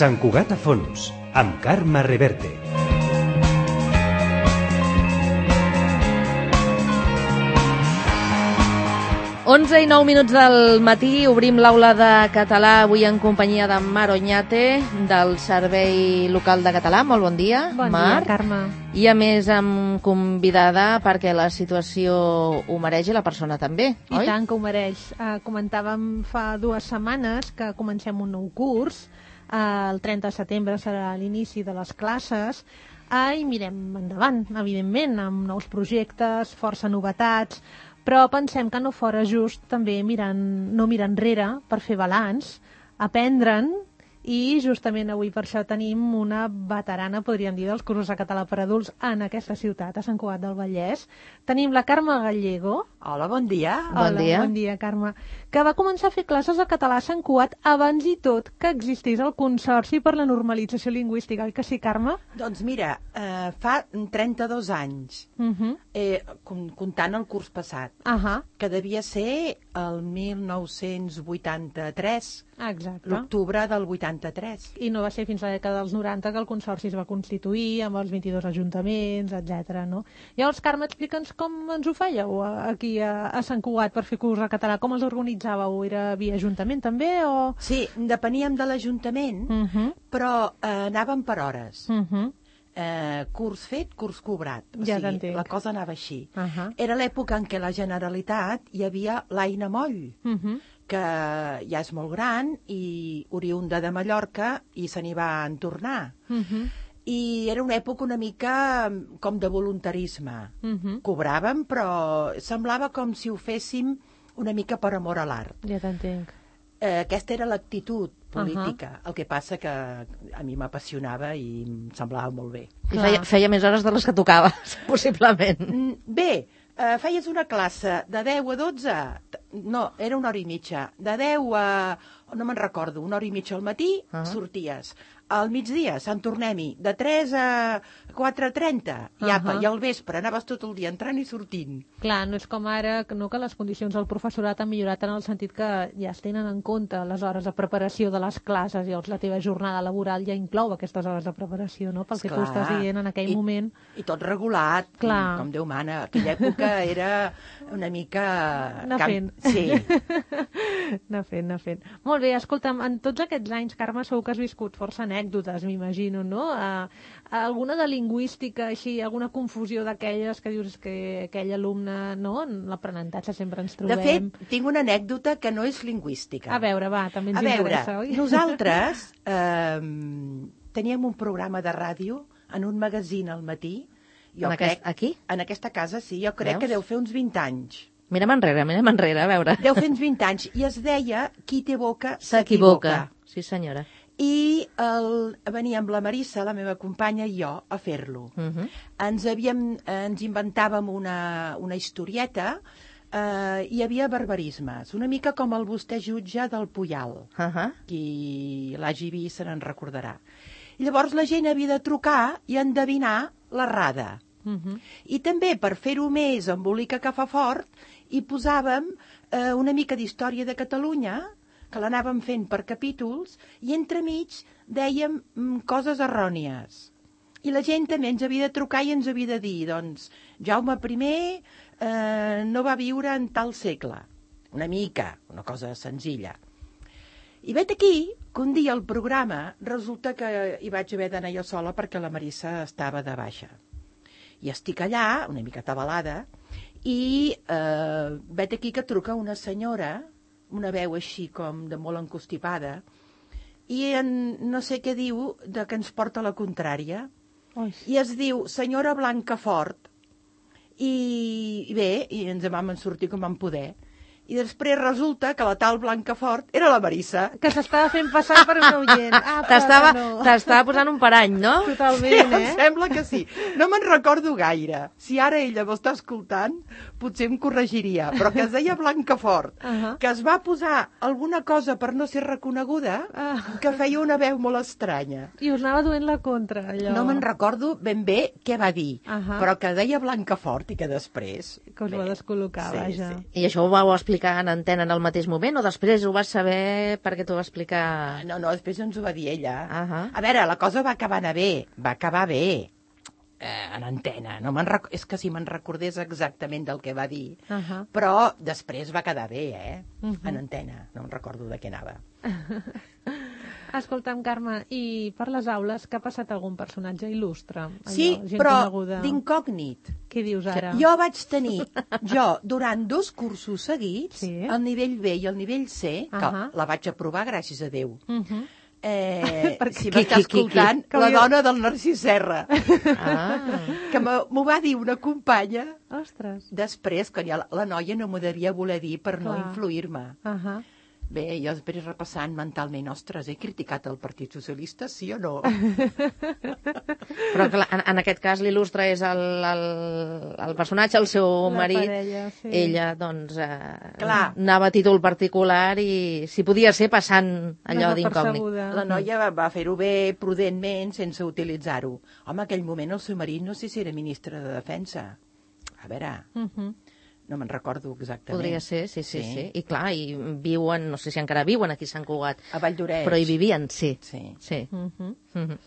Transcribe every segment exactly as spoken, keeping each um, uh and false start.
Sant Cugat a fons, amb Carme Reverte. onze i nou minuts del matí, obrim l'aula de català avui en companyia de Mar Oñate, del Servei Local de Català. Molt bon dia, bon Mar. Bon dia, Carme. I a més amb convidada perquè la situació ho mereix i la persona també, I oi? I tant que ho mereix. Uh, comentàvem fa dues setmanes que comencem un nou curs. Uh, el trenta de setembre serà l'inici de les classes. Uh, I mirem endavant, evidentment, amb nous projectes, força novetats, però pensem que no fora just també mirant, no mirar enrere per fer balanç, aprendre'n, i justament avui per això tenim una veterana, podríem dir, dels cursos de català per adults en aquesta ciutat, a Sant Cugat del Vallès. Tenim la Carme Gallego. Hola, bon dia. Bon Hola, dia. bon dia, Carme. Que va començar a fer classes de català a Sant Cugat abans i tot que existís el Consorci per la Normalització Lingüística, oi que sí, Carme? Doncs mira, eh, fa trenta-dos anys, Uh -huh. eh, comptant el curs passat, Uh -huh. que devia ser el mil nou-cents vuitanta-tres, Exacte. l'octubre del vuitanta-tres. I no va ser fins a la dècada dels noranta que el Consorci es va constituir amb els vint-i-dos ajuntaments, etcètera. No? Llavors, Carme, explica'ns com ens ho fèieu aquí a, a Sant Cugat per fer curs de català. Com els organitzàveu? Era via ajuntament també o...? Sí, depeníem de l'Ajuntament, Uh -huh. però eh, anàvem per hores. Uh -huh. Eh, curs fet, curs cobrat. O Ja sigui, t'entenc. la cosa anava així. Uh -huh. Era l'època en què la Generalitat hi havia l'Aina Moll, Uh -huh. que ja és molt gran i oriunda de Mallorca i se n'hi va en tornar. Uh -huh. I era una època una mica com de voluntarisme. Uh -huh. Cobràvem, però semblava com si ho féssim una mica per amor a l'art. Ja t'entenc. Eh, aquesta era l'actitud política. Uh-huh. El que passa que a mi m'apassionava i em semblava molt bé. I feia, feia més hores de les que tocava, possiblement. Mm, Bé, eh, feies una classe de deu a dotze, no, era una hora i mitja, de deu a, no me'n recordo, una hora i mitja al matí, Uh-huh. sorties. Al migdia, Sant Tornem-hi, de tres a quatre a trenta, i apa, Uh-huh. i al vespre anaves tot el dia entrant i sortint. Clar, no és com ara que, no, que les condicions del professorat han millorat en el sentit que ja es tenen en compte les hores de preparació de les classes, llavors la teva jornada laboral ja inclou aquestes hores de preparació, no? Pel que tu Esclar. estàs dient en aquell I, moment. I tot regulat, Clar. com Déu mana. Aquella època era una mica... Anar camp- fent. Sí. Anar fent, anar fent. Molt bé, escolta'm, en tots aquests anys, Carme, segur que has viscut força anècdotes, m'imagino, no? Uh, alguna de lingüística, així, alguna confusió d'aquelles que dius que aquell alumne, no? En l'aprenentatge sempre ens De trobem. fet, tinc una anècdota que no és lingüística. A veure, va, també ens A veure, interessa, oi? nosaltres eh, teníem un programa de ràdio en un magazín al matí. Jo En crec, aquest- aquí? En aquesta casa, sí. Jo crec Veus? que deu fer uns vint anys. Mira'm enrere, mira'm enrere, a veure. Deu fer uns vint anys. I es deia Qui té boca S'equivoca. Sí, senyora. I el, veníem la Marissa, la meva companya, i jo a fer-lo. Uh -huh. Ens, havíem, ens inventàvem una, una historieta. Eh, hi havia barbarismes, una mica com el vostè jutge del Puyal. Uh -huh. Qui l'hagi vist se n'en recordarà. I llavors la gent havia de trucar i endevinar l'errada. Uh -huh. I també, per fer-ho més embolica que fa fort, hi posàvem eh, una mica d'història de Catalunya, que l'anàvem fent per capítols, i entremig dèiem mm, coses errònies. I la gent també ens havia de trucar i ens havia de dir, doncs, Jaume I eh, no va viure en tal segle. Una mica, una cosa senzilla. I vet aquí que un dia al programa resulta que hi vaig haver d'anar jo sola perquè la Marissa estava de baixa. I estic allà, una mica atabalada, i eh, vet aquí que truca una senyora, una veu així com de molt encostipada, i en, no sé què diu, de que ens porta la contrària. Ui. I es diu senyora Blancafort. I, i bé, i ens en vam sortir com vam poder. I després resulta que la tal Blancafort era la Marissa. Que s'estava fent passar per un oient. Ah, però T'estava no. t'estava posant un parany, no? Totalment, Sí, eh? em sembla que sí. No me'n recordo gaire. Si ara ella m'està escoltant, potser em corregiria. Però que es deia Blancafort, Uh -huh. que es va posar alguna cosa per no ser reconeguda, Ah. que feia una veu molt estranya. I us anava duent la contra, allò. No me'n recordo ben bé què va dir, Ahà. però que deia Blancafort i que després... Que us va bé, descol·locar, sí, vaja. sí. I això ho vau explicar explicar en antena en el mateix moment o després ho vas saber perquè t'ho va explicar... No, no, després ens ho va dir ella. Uh -huh. A veure, la cosa va acabar anar bé, va acabar bé, eh, en antena. No me'n rec... És que si me'n recordés exactament del que va dir, Uh -huh. però després va quedar bé, eh, Uh -huh. en antena. No em recordo de què anava. Escolta'm, Carme, i per les aules que ha passat algun personatge il·lustre? Allò, Sí, gent però coneguda? d'incògnit. Què dius ara? Jo vaig tenir, jo, durant dos cursos seguits, Sí. el nivell B i el nivell C, que Ahà. la vaig aprovar, gràcies a Déu. Uh -huh. Eh, Perquè- si Qui, m'està qui, qui, qui? escoltant, Que la hauria- dona del Narcís Serra, Ah, que m'ho m'ho va dir una companya Ostres. després, que ja la, la noia no m'ho devia voler dir per no Clar. influir-me. Uh -huh. Bé, jo després repassant mentalment, ostres, he criticat el Partit Socialista, sí o no? però clar, en, en aquest cas l'il·lustre és el, el, el personatge, el seu La marit. parella, sí. Ella, doncs, eh, Clar. anava a títol particular i si podia ser passant allò d'incògnit. Desapercebuda. La noia va, va fer-ho bé, prudentment, sense utilitzar-ho. Home, aquell moment el seu marit no sé si era ministre de Defensa. A veure, Uh -huh. no me'n recordo exactament. Podria ser, sí, sí, sí, sí. I clar, i viuen, no sé si encara viuen aquí a Sant Cugat, A Valldoreix. però hi vivien, sí. Sí. Sí. Uh -huh. Mhm.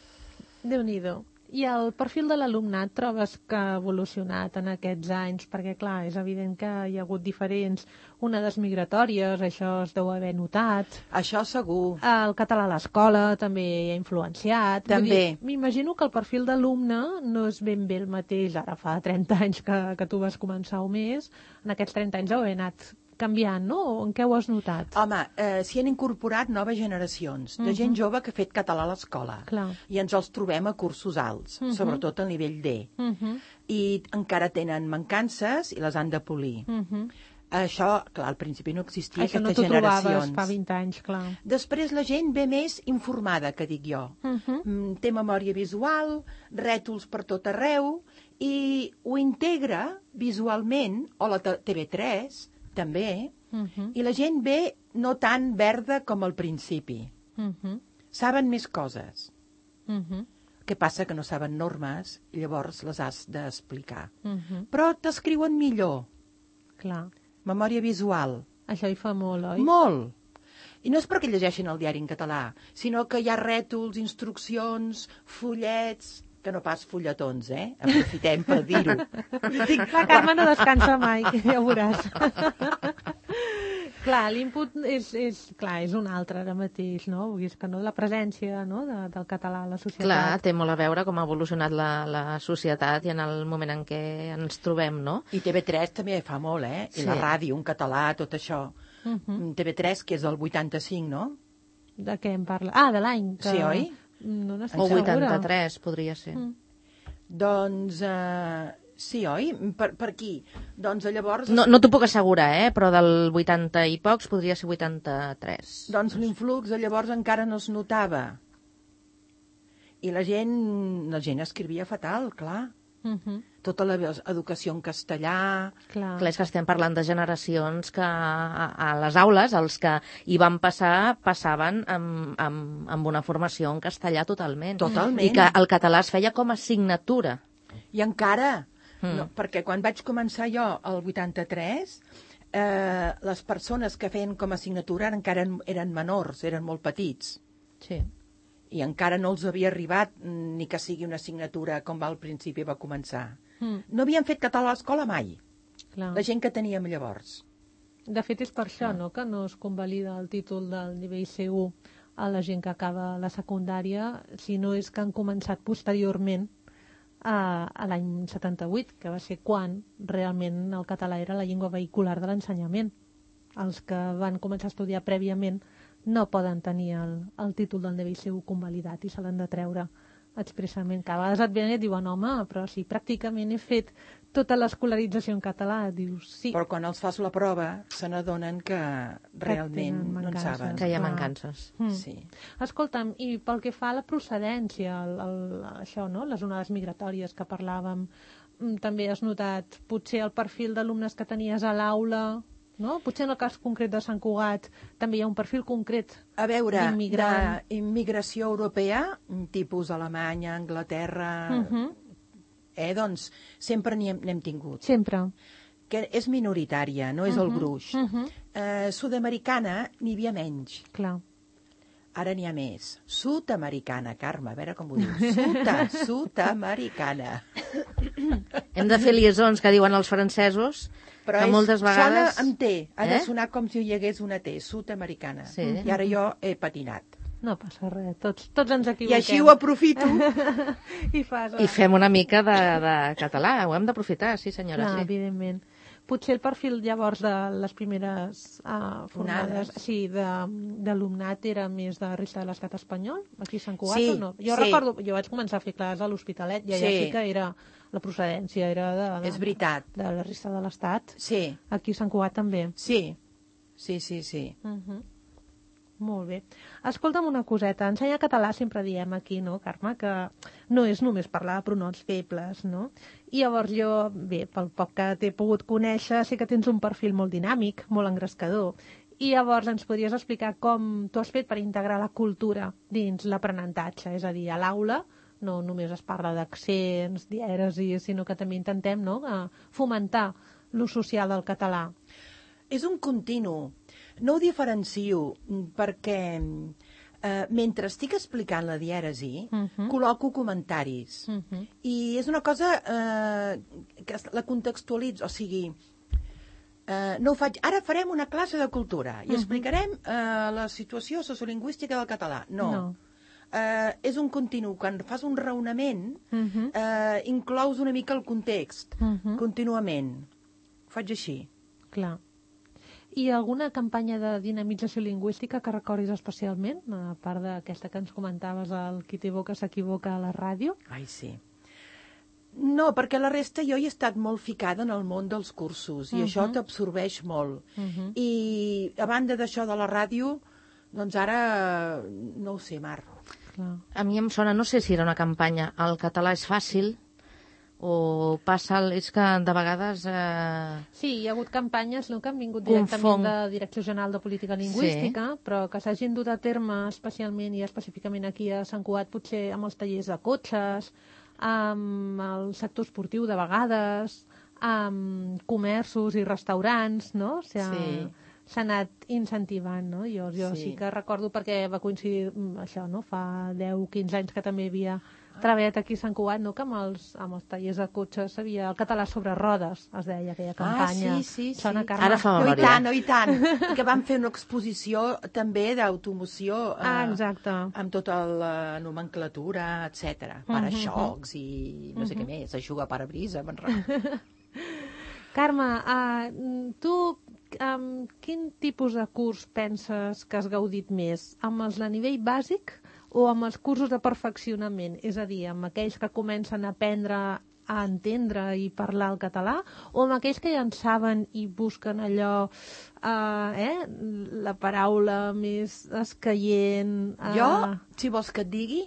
Déu-n'hi-do. I el perfil de l'alumnat trobes que ha evolucionat en aquests anys? Perquè, clar, és evident que hi ha hagut diferents onades migratòries, això es deu haver notat. Això segur. El català a l'escola també ha influenciat. Vull També. dir, m'imagino que el perfil d'alumne no és ben bé el mateix. Ara fa trenta anys que, que tu vas començar o més. En aquests trenta anys heu anat canviant, no? En què ho has notat? Home, eh, s'hi han incorporat noves generacions de gent jove que ha fet català a l'escola. Clar. I ens els trobem a cursos alts, Mhm. sobretot al nivell D. Uh -huh. I encara tenen mancances i les han de polir. Uh -huh. Això, clar, al principi no existia Això no aquestes t'ho trobaves generacions. fa vint anys, clar. Després la gent ve més informada, que dic jo. Uh -huh. Mm, té memòria visual, rètols per tot arreu, i ho integra visualment, o la T V tres, també, Uh -huh. i la gent ve no tan verda com al principi. Uh -huh. Saben més coses. Uh -huh. Què passa? Que no saben normes, i llavors les has d'explicar. Uh -huh. Però t'escriuen millor. Clar. Memòria visual. Això hi fa molt, oi? Molt. I no és perquè llegeixin el diari en català, sinó que hi ha rètols, instruccions, fullets, que no pas fulletons, eh? Aprofitem per dir-ho. La Carme no descansa mai, ja ho veuràs. Clar, l'input és, és, clar, és un altre ara mateix, no? Vull dir, és que no, la presència, no?, de, del català a la societat. Clar, té molt a veure com ha evolucionat la, la societat i en el moment en què ens trobem, no? I T V tres també fa molt, eh? I Sí. la ràdio, un català, tot això. Uh -huh. T V tres, que és del vuitanta-cinc, no? De què em parla? Ah, de l'any. Que... Sí, oi? No n'estic O segura. vuitanta-tres, podria ser. Mm. Doncs, eh, sí, oi? Per, per aquí. Doncs llavors... No, no t'ho puc assegurar, eh? Però del vuitanta i pocs podria ser vuitanta-tres. Doncs l'influx de llavors encara no es notava. I la gent, la gent escrivia fatal, clar. Uh -huh. Tota l'educació en castellà... Clar. Clar, és que estem parlant de generacions que a, a les aules, els que hi van passar, passaven amb, amb, amb una formació en castellà totalment. Totalment. I que el català es feia com a assignatura. I encara, Mm. no, perquè quan vaig començar jo el vuitanta-tres, eh, les persones que feien com a assignatura encara eren, eren menors, eren molt petits. Sí. I encara no els havia arribat ni que sigui una assignatura com va al principi va començar. Mm. No havien fet català a l'escola mai, Clar. la gent que teníem llavors. De fet, és per això, no?, que no es convalida el títol del nivell C u a la gent que acaba la secundària, sinó és que han començat posteriorment a, a l'any setanta-vuit, que va ser quan realment el català era la llengua vehicular de l'ensenyament. Els que van començar a estudiar prèviament no poden tenir el, el títol del nivell C u convalidat i se l'han de treure expressament. Que a vegades et venen i et diuen, home, però si pràcticament he fet tota l'escolarització en català, dius sí. Però quan els fas la prova se n'adonen que realment tenen no en mancances. saben. Que hi ha Clar. mancances. Mm. Sí. Escolta'm, i pel que fa a la procedència, el, el, això, no?, les onades migratòries que parlàvem, mm, també has notat potser el perfil d'alumnes que tenies a l'aula, no? Potser en el cas concret de Sant Cugat també hi ha un perfil concret. A veure, D'immigrant. d'immigració europea, tipus Alemanya, Anglaterra, Uh -huh. eh, doncs sempre n'hi hem, n'hem tingut. Sempre. que és minoritària, no és Uh-huh, el gruix. uh -huh. eh, sud-americana n'hi havia menys. Clar. Ara n'hi ha més. Sud-americana, Carme, a veure com ho dius. Suta, sud-americana. Hem de fer liaisons que diuen els francesos, Però que és, moltes vegades... sona amb T, ha Eh? de sonar com si hi hagués una T, sud-americana. Sí. I ara jo he patinat. No passa res, tots, tots ens I equivoquem. així ho aprofito. I fas... I fem una mica de, de català, ho hem d'aprofitar, sí senyora, Clar, sí. evidentment. Potser el perfil llavors de les primeres uh, formades Onades. sí, de- d'alumnat era més de resta de l'estat espanyol, aquí a Sant Cugat Sí, o no? Jo sí. recordo, jo vaig començar a fer classes a l'Hospitalet i allà sí. Sí. sí que era la procedència, era de, de, És veritat. de la resta de l'estat. Sí, Aquí a Sant Cugat també. sí, sí, sí, sí. Uh -huh. Molt bé. Escolta'm una coseta. Ensenyar català sempre diem aquí, no, Carme, que no és només parlar de pronoms febles, no? I llavors jo, bé, pel poc que t'he pogut conèixer, sé que tens un perfil molt dinàmic, molt engrescador. I llavors ens podries explicar com tu has fet per integrar la cultura dins l'aprenentatge, és a dir, a l'aula no només es parla d'accents, dièresis, sinó que també intentem, no?, eh, fomentar l'ús social del català. És un continu. No ho diferencio mm, perquè eh, mentre estic explicant la dièresi, Mhm. col·loco comentaris. Mhm. I és una cosa eh, que es- la contextualitzo, o sigui, eh, no ho faig... Ara farem una classe de cultura i Mhm. explicarem eh, la situació sociolingüística del català. No. No. Eh, és un continu. Quan fas un raonament, Mhm. eh, inclous una mica el context, Mhm. contínuament. Ho faig així. Clar. I alguna campanya de dinamització lingüística que recordis especialment, a part d'aquesta que ens comentaves, el qui t'evoca s'equivoca a la ràdio? Ai, sí. No, perquè la resta jo hi he estat molt ficada en el món dels cursos i Mhm. això t'absorbeix molt. Mhm. I a banda d'això de la ràdio, doncs ara no ho sé, Mar. Clar. A mi em sona, no sé si era una campanya, el català és fàcil, o passa, el- és que de vegades... Eh... Sí, hi ha hagut campanyes, no?, que han vingut Confong. directament de Direcció General de Política Lingüística, sí. però que s'hagin dut a terme especialment i específicament aquí a Sant Cugat, potser amb els tallers de cotxes, amb el sector esportiu de vegades, amb comerços i restaurants, no? O sigui, Sí. s'ha anat incentivant, no? Jo, jo sí. Sí. sí que recordo perquè va coincidir mm, això, no? Fa deu o quinze anys que també hi havia treballat aquí a Sant Cugat, no? Que amb els, amb els tallers de cotxes havia el català sobre rodes, es deia aquella campanya. Ah, sí, sí, sí. Sona, Carme? Ara fa No, i memòria. tant, no, i tant. Que van fer una exposició també d'automoció eh, Ah, exacte. amb tota la nomenclatura, etcètera. Para-xocs i no sé què més, eixuga parabrisa, me'n recordo. Carme, uh, tu amb quin tipus de curs penses que has gaudit més? Amb els de nivell bàsic o amb els cursos de perfeccionament? És a dir, amb aquells que comencen a aprendre a entendre i parlar el català, o amb aquells que ja en saben i busquen allò, uh, eh, la paraula més escaient... Uh... Jo, si vols que et digui,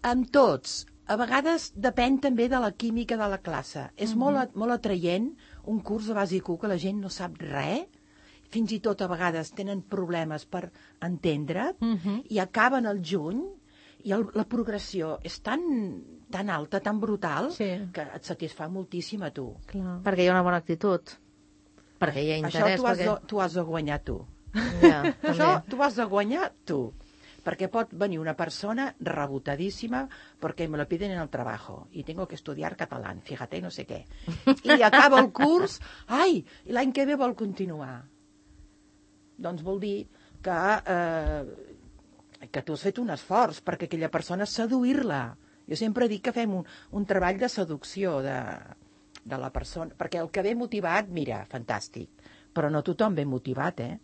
amb tots. A vegades depèn també de la química de la classe. És Mhm. molt, a- molt atraient un curs de bàsic u que la gent no sap res, fins i tot a vegades tenen problemes per entendre, Mhm. i acaben al juny, i el, la progressió és tan, tan alta, tan brutal, Sí. que et satisfà moltíssim a tu. Clar. Perquè hi ha una bona actitud. Perquè hi ha Això interès. tu has, perquè... de, tu has de guanyar tu. Ja, Això també. tu has de guanyar tu. Perquè pot venir una persona rebotadíssima perquè me lo piden en el trabajo y tengo que estudiar catalán, fíjate, no sé què. I acaba el curs, ai, i l'any que ve vol continuar. Doncs vol dir que, eh, que tu has fet un esforç perquè aquella persona seduir-la. Jo sempre dic que fem un, un treball de seducció de, de la persona, perquè el que ve motivat, mira, fantàstic, però no tothom ve motivat, eh?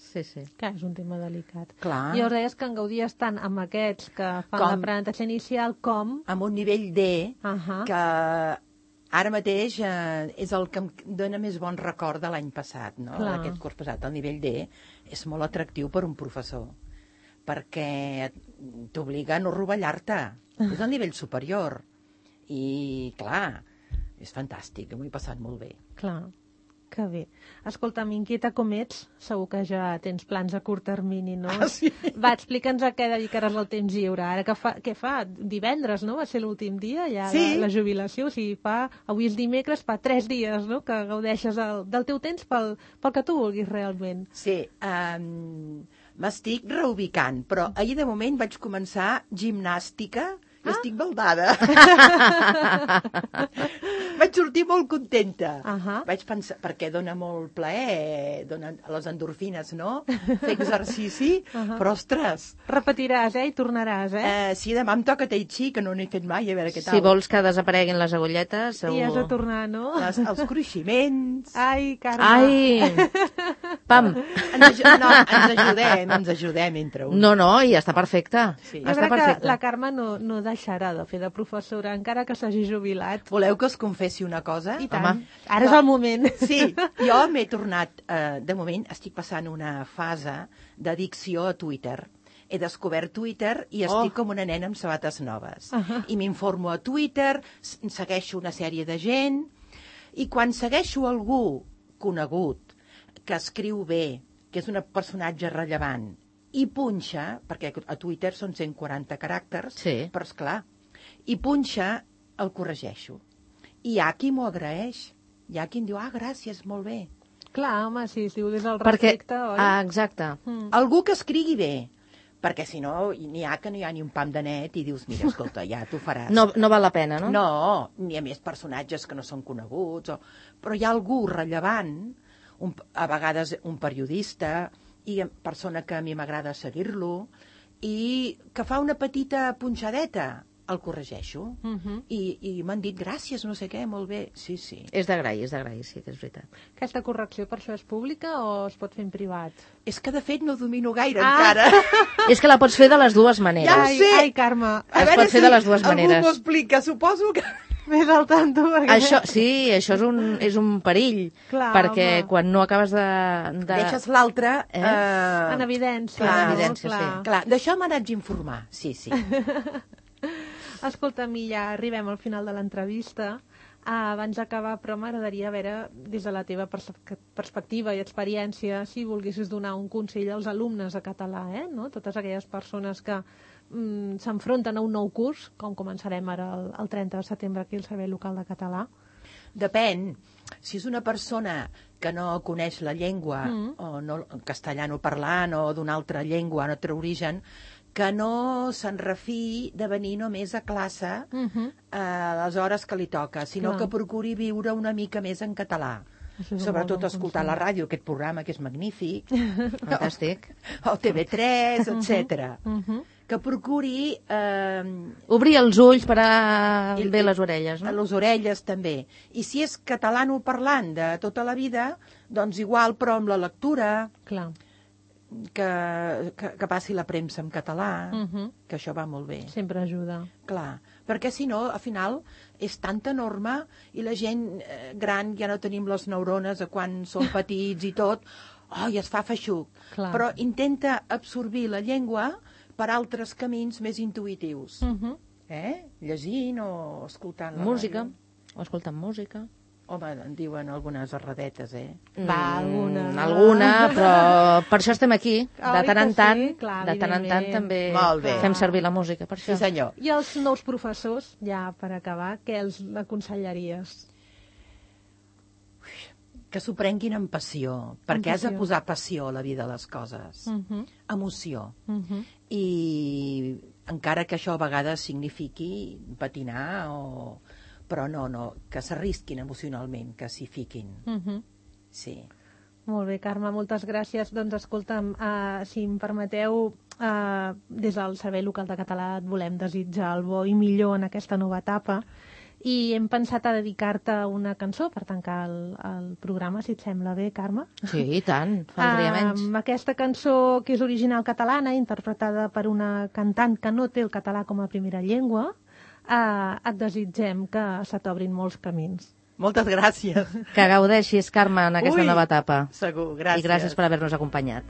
Sí, sí. Clar, és un tema delicat. Clar. I llavors deies que en gaudies tant amb aquests que fan Com? l'aprenentatge inicial com... Amb un nivell D, Ahà. que ara mateix eh, és el que em dona més bon record de l'any passat, no? Clar. D'aquest curs passat. El nivell D és molt atractiu per un professor, perquè t'obliga a no rovellar-te. És el nivell superior. I, clar, és fantàstic, m'ho he passat molt bé. Clar. Que bé. Escolta, m'inquieta com ets, segur que ja tens plans a curt termini, no? Ah, sí? Va, explica'ns a què dedicaràs el temps lliure. Ara que fa, què fa? Divendres, no? Va ser l'últim dia, ja Sí. la, la jubilació. O sigui, fa, avui és dimecres, fa tres dies, no?, que gaudeixes el, del teu temps pel, pel que tu vulguis realment. Sí, um, m'estic reubicant, però ahir de moment vaig començar gimnàstica i ah. estic baldada. Vaig sortir molt contenta. Uh -huh. Vaig pensar, perquè dona molt plaer, dona les endorfines, no? Fer exercici, uh -huh. però ostres. Repetiràs, eh? I tornaràs, eh? Eh, sí, demà em toca Tai Chi, que no n'he fet mai, a veure què tal. Si vols que desapareguin les agulletes, segur... I has de tornar, no? Les, els cruiximents. Ai, Carme. Ai! Pam! Ens, no, ens ajudem, ens ajudem entre uns. No, no, i està perfecte. Sí. Jo Està crec que perfecte. la Carme no, no deixarà de fer de professora, encara que s'hagi jubilat. Voleu que us confessi una cosa? I tant. Home. Ara és el moment. Sí, jo m'he tornat, eh, de moment estic passant una fase d'addicció a Twitter. He descobert Twitter i estic Oh. com una nena amb sabates noves. Uh -huh. I m'informo a Twitter, s- segueixo una sèrie de gent, i quan segueixo algú conegut, que escriu bé, que és un personatge rellevant, i punxa, perquè a Twitter són cent quaranta caràcters, Sí. però esclar, i punxa, el corregeixo. I hi ha qui m'ho agraeix. Hi ha qui em diu, ah, gràcies, molt bé. Clar, home, si es diu des del Perquè, respecte, oi? ah, exacte. Mm. Algú que escrigui bé, perquè si no, n'hi ha que no hi ha ni un pam de net i dius, mira, escolta, ja t'ho faràs. No, no val la pena, no? No, ni a més personatges que no són coneguts, o... però hi ha algú rellevant, un, a vegades un periodista, i persona que a mi m'agrada seguir-lo, i que fa una petita punxadeta, el corregeixo. Uh -huh. I, i m'han dit, gràcies, no sé què, molt bé. Sí, sí. És d'agrair, és d'agrair, sí que és veritat. Aquesta correcció per això és pública o es pot fer en privat? És que, de fet, no domino gaire Ah. encara. És que la pots fer de les dues maneres. Ja ho ai, sé. ai, Carme, A Es veure pot fer si de les dues maneres. algú m'ho explica, suposo que... més al tanto. Perquè... Això, sí, això és un, és un perill, Clar, perquè home. quan no acabes de... de... Deixes l'altre... Eh? Eh... En evidència. Clar, en no? evidència, sí. Clar. Clar, d'això m'haig d'informar, sí, sí. Escolta, mi, ja arribem al final de l'entrevista. Ah, abans d'acabar, però m'agradaria veure, des de la teva pers perspectiva i experiència, si volguessis donar un consell als alumnes de català, eh? No? Totes aquelles persones que mm, s'enfronten a un nou curs, com començarem ara el, el trenta de setembre aquí al Servei Local de Català. Depèn. Si és una persona que no coneix la llengua, Mm. o no, castellano parlant, o d'una altra llengua, un altre origen, que no se'n refiï de venir només a classe Uh -huh. a les hores que li toca, sinó Clar. que procuri viure una mica més en català. Això és un Sobretot molt bon escoltar consell. la ràdio, aquest programa que és magnífic, Fantàstic. o T V tres, etcètera. Uh -huh. Que procuri eh, Obrir els ulls per a I- bé i- les orelles, a no? les orelles també. I si és catalano-parlant de tota la vida, doncs igual, però amb la lectura, Clar. que, que, que passi la premsa en català, Uh -huh. que això va molt bé. Sempre ajuda. Clar, perquè si no, al final, és tanta norma i la gent eh, gran ja no tenim les neurones a quan som petits i tot, oh, i es fa feixuc. Clar. Però intenta absorbir la llengua per altres camins més intuïtius. Uh -huh. Eh? Llegint o escoltant la Música, ràdio. o escoltant música. Home, en diuen algunes erradetes, eh? Va, alguna. Mm, alguna, però per això estem aquí. De Oi tant que en tant, sí? Clar, de tant en tant evidentment. també Molt bé. fem servir la música, per Sí, això. senyor. I els nous professors, ja per acabar, què els aconsellaries? Que s'ho prenguin amb passió, perquè has de passió. posar passió a la vida de les coses. Uh -huh. Emoció. Uh -huh. I encara que això a vegades signifiqui patinar o... però no, no, que s'arrisquin emocionalment, que s'hi fiquin. Uh -huh. Sí. Molt bé, Carme, moltes gràcies. Doncs escolta'm, uh, si em permeteu, uh, des del Servei Local de Català et volem desitjar el bo i millor en aquesta nova etapa i hem pensat a dedicar-te una cançó per tancar el, el programa, si et sembla bé, Carme. Sí, i tant, faltaria menys. Amb aquesta cançó que és original catalana, interpretada per una cantant que no té el català com a primera llengua, uh, et desitgem que se t'obrin molts camins. Moltes gràcies. Que gaudeixis, Carme, en aquesta Ui, nova etapa. Segur, gràcies. I gràcies per haver-nos acompanyat.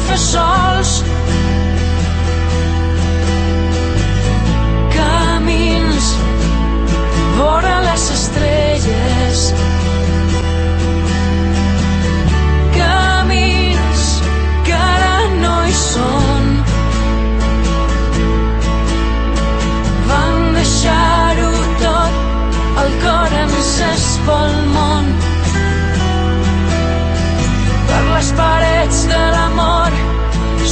fer sols. Camins vora les estrelles, camins que ara no hi són. Van deixar-ho tot, el cor encès pel món. Per les parets de l'amor,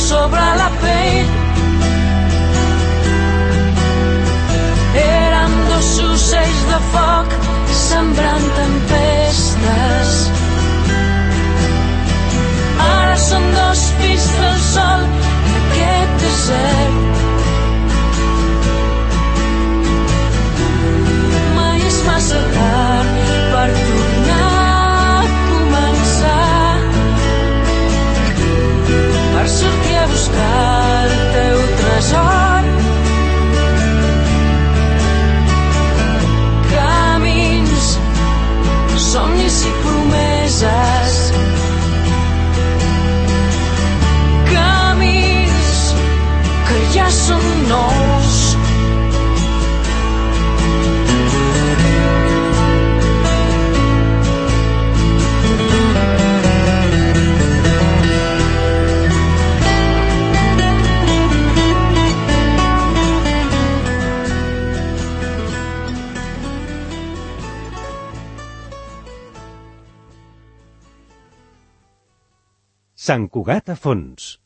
sobre la pell, eren dos ocells de foc sembrant tempestes. Ara són dos fills del sol en aquest desert. Mai és massa tard per tornar a començar, per sortir a buscar el teu tresor. Camins, somnis i promeses, camins que ja són nous. Sant Cugat a fons.